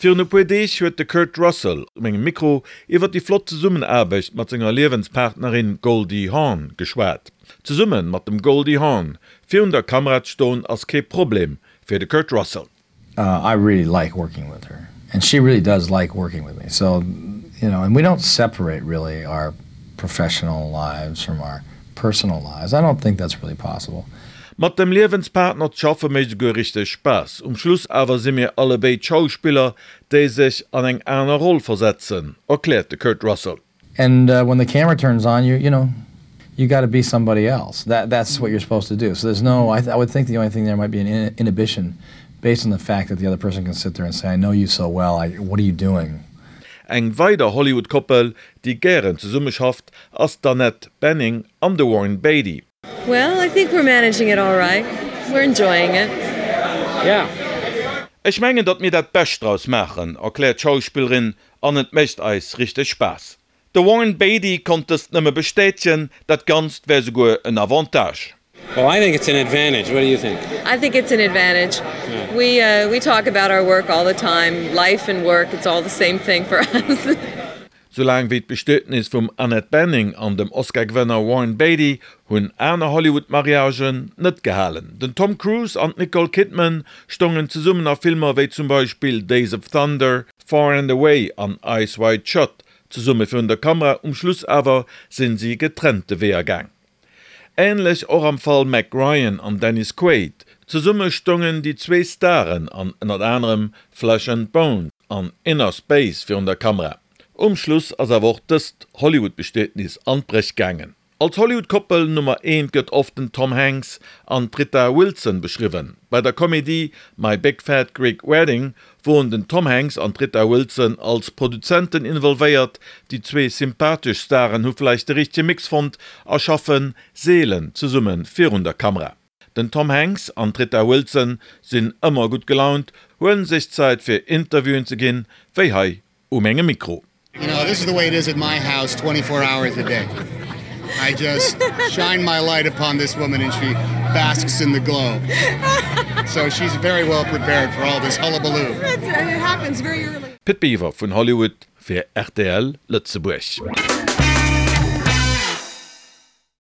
Virun e puer Deeg huet de Kurt Russell u mengem Mikro iwwer déi flott Zesummenaarbecht mat senger Liewenspartnerin Goldie Hawn geschwat. Zesumme mat dem Goldie Hawn virun der Kamera ze stoen ass kee Problem fir de Kurt Russell. I really like working with her and she really does like working with me so you know and we don't separate really our professional lives from our personal lives. I don't think that's really possible. Mat dem Liewenspartner z'schaffe mécht esouguer richteg Spaass. Um Schluss awer si mir allebéid Schauspiller, déi sech an eng aner Roll versetzen, erkläert de Kurt Russell. And when the camera turns on you, you know, you gotta be somebody else. That that's what you're supposed to do. So there's no, I I would think the only thing there might be an inhibition based on the fact that the other person can sit there and say, I know you so well, I, what are you doing? Eng weider Hollywood-Koppel, déi gären zesumme schafft, ass d'Annette Bening an de Warren Beatty. Well, I think we're managing it all right. We're enjoying it. Yeah. Ech mengen, datt mir dat Bescht draus maachen, erkläert d'Schauspillerin, an et mécht eis richteg Spaass. De Warren Beatty konnt dëst nëmme bestätegen, dat Ganzt wär souguer en Avantage. Well, I think it's an advantage. What do you think? I think it's an advantage. Yeah. We, uh, we talk about our work all the time. Life and work, it's all the same thing for us. Sou laang wéi d'Bestietnis vum Annette Bening an dem Oscar-Gewënner Warren Beatty hunn aner Hollywood-Mariagen net gehalen. Den Tom Cruise an d'Nicole Kidman stoungen zesummen a Filmer wéi zum Beispill Days of Thunder, Far and Away an Eyes Wide Shut zesumme virun der Kamera, um Schluss awer sinn si getrennte Weeër gaang. Änlech och am Fall Meg Ryan an Dennis Quaid. Zesumme stoungen déi zwee Staren an ënnert anerem Flesh and Bone an Inner Space virun der Kamera. Um Schluss ass awer och dëst Hollywood-Bestietnis an d'Bréch gaangen. Als Hollywood-Koppel Nummer eent gëtt oft den Tom Hanks an d'Rita Wilson beschriwwen. Bei der Komedie My Big Fat Greek Wedding woren den Tom Hanks an d'Rita Wilson als Produzenten involvéiert. Déi zwee sympathesch Staren hu vläicht de richtege Mix fonnt a schaffe seelen zesumme virun der Kamera. Den Tom Hanks an d'Rita Wilson sinn ëmmer gutt gelaunt, huelen sech Zäit fir Interviewen ze ginn, wéi hei u mengem Mikro. You know, this is the way it is at my house 24 hours a day. I just shine my light upon this woman and she basks in the glow. So she's very well prepared for all this hullabaloo. Pit Biwer vun Hollywood fir rtl Lëtzebuerg.